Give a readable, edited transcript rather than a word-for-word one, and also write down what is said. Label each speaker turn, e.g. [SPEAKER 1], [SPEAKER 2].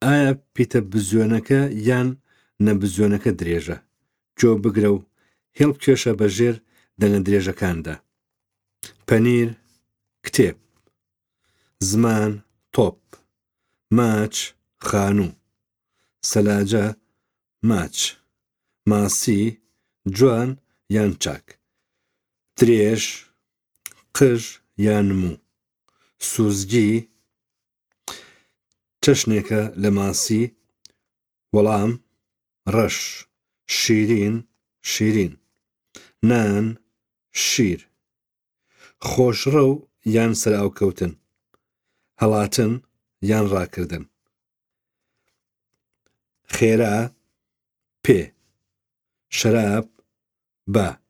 [SPEAKER 1] ئایا پیتە بزوێنەکە یان نەبزوێنەکە درێژە؟ گۆ بگرە و هێڵ بکێشە بە ژێر دەنگە درێژەکاندا. پەنیر، کتێب. زمان، تۆپ. ماچ، خانوو. سەلاجە، ماچ. ماسی، جوان یان چاک. درێژ، قژ یان موو. سوزگی، چەشنێکە لە ماسی، وەڵام، ڕەش، شیرین، شیرین. نان، شیر. خۆشڕەو یان سەرئاوکەوتن. هەڵاتن یان ڕاکردن. خێرا، پێ. شەراب، با.